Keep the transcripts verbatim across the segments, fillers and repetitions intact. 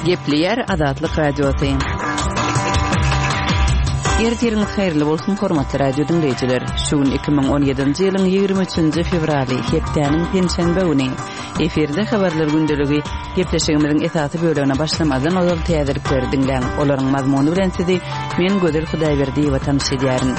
Gepleýär Azatlyk Radiosy. Ertiriňiz haýyrly bolsun, hormatly radio diňleýjiler. Şu gün iki müň on ýedinji ýylyň ýigrimi üçünji fewraly, hepdäniň penşenbe güni. Efirde habarlar gündeligi. Gepleşigimiziň esasy bölegine başlamazdan ozal täzelikleri diňläň. Olaryň mazmuny bilen sizi men Gözel Hudaýberdiýewa tanyş edýärin.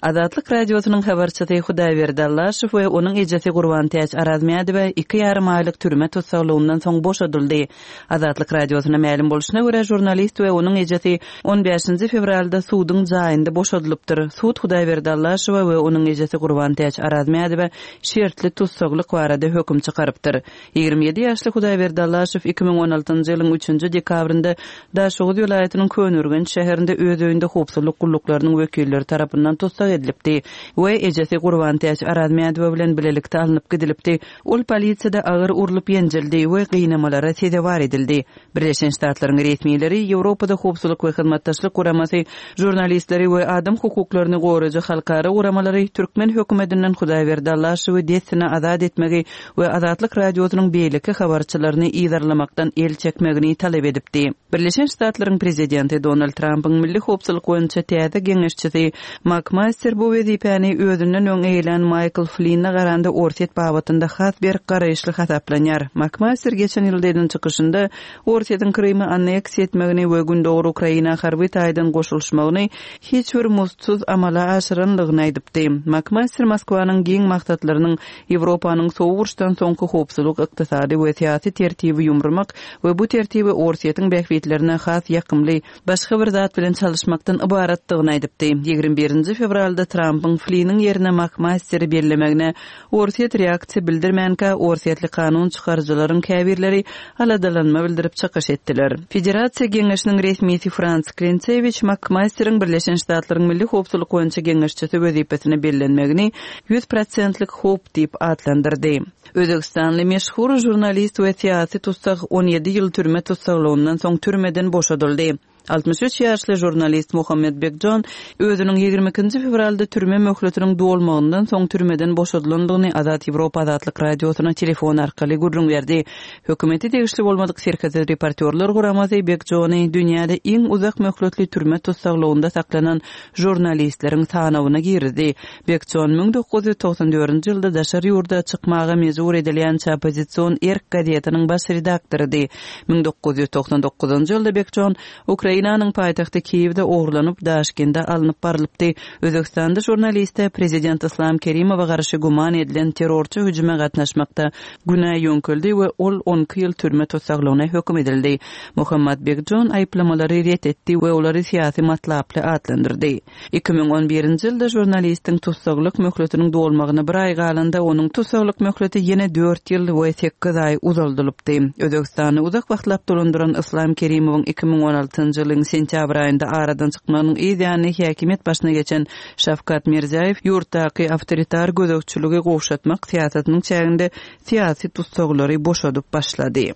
Azatlyk Radiosynyň habarçysy Hudaýberdi Allaşow we onuň ejesi Gurbantäç Arazmädowa iki ýarym aýlyk türme tussaglygyndan soň boşadyldy. Azatlyk Radiosyna mälim bolşuna görä, žurnalist we onuň ejesi on bäşinji fewralda suduň jaýynda boşadylypdyr. Sud Hudaýberdi Allaşowa we onuň ejesi Gurbantäç Arazmädowa şertli tussaglyk barada höküm çykarypdyr. Ýigrimi ýedi ýaşly Hudaýberdi Allaşow iki müň on altynjy ýylyň üçünji dekabrynda Daşoguz welaýatynyň Köneürgenç şäherinde öz öýünde howpsuzlyk gulluklarynyň wekilleri tarapyndan tussag edilipdi we ejesi Gurbantäç Arazmädowa bilen bilelikde alnyp gidilipdi. Ol polisiýada agyr urlup ýenjildi we gynamalara sezewar edildi. Birleşen Ştatlaryň resmileri Ýewropada Howpsuzlyk we Hyzmatdaşlyk Guramasy žurnalistleri we adam hukuklaryny goraýjy halkara guramalary türkmen hökümetinden Hudaýberdi Allaşowy dessine azat etmegi we Azatlyk Radiosynyň beýleki habarçylaryny yzarlamakdan el çekmegini talap edipdi. Birleşen Ştatlaryň prezidenti Donald Trumpyň milli howpsuzlyk boýunça täze geňeşçisi McMaster bu wezipäni özünden öň eýlän Michael Flynn'a garanda Orsýet babatynda has berk garaýyşly hasaplanýar. McMaster geçen ýylda eden çykyşynda Orsýetiň Krymy anneksiýa etmegini we Gündogar Ukraina harby taýdan goşulyşmagyny hiç bir muzdsuz amala aşyranlygyny aýdypdy. McMaster Moskwanyň giň maksatlarynyň Ýewropanyň soňky uruşdan soňky howpsuzlyk, ykdysady we syýasy tertibi ýumurmak we bu tertibi Orsýetiň bähbitlerine has ýakymly başga bir zat bilen çalışmakdan ybaratdygyny aýdypdy. Ýigrimi birinji fewralda Trumpyň Flynn'yň ýerine McMaster'i bellemegine Orsýet reaksiýa bildirmänkä Orsýetli kanun çykaryjylaryň käbirleri aladalanma bildirip çykyş etdiler. Federasiýa Geňeşiniň resmisi Frans Klintsewich McMaster'iň Birleşen Ştatlaryň Milli Howpsuzlyk boýunça geňeşçisi wezipesine bellenmegini ýüz prosentlik howp diýip atlandyrdy. Özbegistanly meşhur žurnalist we syýasy tussag on ýedi ýyl türme tussaglygyndan soň türmeden boşadyldy. Altmyş üç ýaşly žurnalist Muhammed Bekjon özüniň ýigrimi ikinji fewralda türme möhletiniň dolmagyndan soň türmeden boşadylandygyny Azat Ýewropa Azatlyk Radiosyna telefon arkaly gürrüň berdi. Hökümeti degişli bolmadyk serhetli reportýorlar guramasy Bekjony dünýäde iň uzak möhletli türme tussaglygynda saklanan žurnalistleriň sanawyna girdi. Bekjon müň dokuz ýüz togsan dördünji ýylda daşary ýurda çykmaga mejbur edilýän opozision Erk gazetiniň baş redaktorydy. Müň dokuz ýüz togsan dokuzynjy ýylda Bekjon Ukrainanyň paýtagty Kiýewde ogurlanyp, Daşkende alnyp barylypdy. Özbekistanda žurnaliste prezident Islam Kerimowa garşy güman edilen terrorçy hüjüme gatnaşmakda günä ýöňküldi we ol on iki ýyl türme tussaglygyna höküm edildi. Muhammad Bekjon aýyplamalary ret etdi we olary syýasy matlaply atlandyrdy. Iki müň on birinji ýylda žurnalistiň tussaglyk möhletiniň dolmagyna bir aý galanda onuň tussaglyk möhleti ýene dört ýyl we sekiz aý uzaldylypdy. Özbekistany uzak wagtlap dolandyran Islam Kerimowyň iki müň on altynjy ýylyň sentýabr aýynda aradan çykmagynyň yz ýany häkimiýet başyna geçen Şawkat Mirziýoýew ýurtdaky awtoritar gözegçiligi gowşatmak syýasatynyň çäginde syýasy tussaglary boşadyp başlady.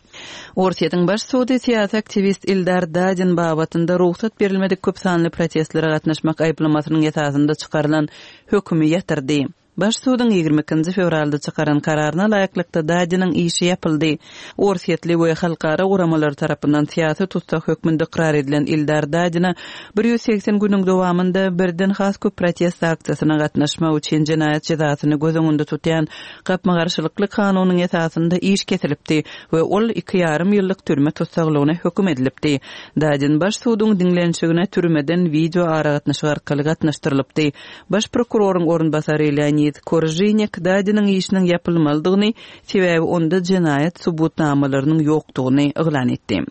Orsýetiň baş sudy syýasy aktiwist Ildar Dadin babatynda rugsat berilmedik köp sanly protestlere gatnaşmak aýyplamasynyň esasynda çykarylan hökümi ýatyrdy. Baş suduň ýigrimi ikinji fewralda çykaran kararyna laýyklykda Dadiniň işi ýapyldy. Orsýetli we halkara guramalary tarapyndan syýasy tussag hökmünde ykrar edilen Ildar Dadina bir ýüz segsen günüň dowamynda birden has köp protest aksiýasyna gatnaşmak üçin jenaýat jezasyny göz öňünde tutýan gapma-garşylykly kanunyň esasynda iş kesilipdi we ol iki ýarym ýyllyk türme tussaglygyna höküm edilipdi. Dadin baş suduň diňlenişigine türmeden video aragatnaşyk arkaly gatnaşdyrylypdy. Baş prokuroryň orunbasary Leonid Koržinek Dadiniň işiniň ýapylmalydygyny, sebäbi onda jenaýat subutnamalarynyň ýokdugyny yglan etdi.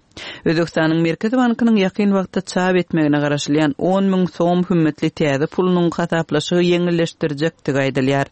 Özbekistanyň Merkezi Bankynyň ýakyn wagtda çap etmegine garaşylýan on müň som hümmetli täze pulunyň hasaplaşygy ýeňilleşdirjekdigi aýdylýar.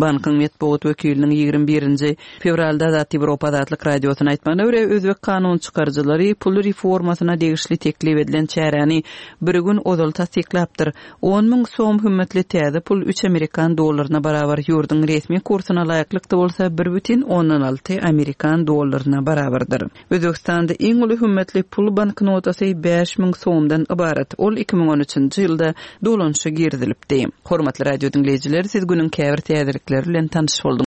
Bankyň metbugat wekiliniň ýigrimi birinji fewralda Azat Ýewropa Azatlyk Radiosyna aýtmagyna görä, özbek kanun çykaryjylary pul reformasyna degişli teklip edilen çäräni bir gün ozal tassyklapdyr. On müň som hümmetli täze pul üç amerikan dollaryna barabar, ýurduň resmi kursuna laýyklykda bolsa bir bütin ondan alty amerikan dollaryna barabardyr. Özbekistanda iň uly hümmetli pul banknotasy bäş müň somdan ybarat. Ol iki müň on üçünji ýylda dolanyşa girizilipdi. Hormatly radio diňleýjiler, siz günüň käbir täzelikleri bilen tanyş bolduňyz.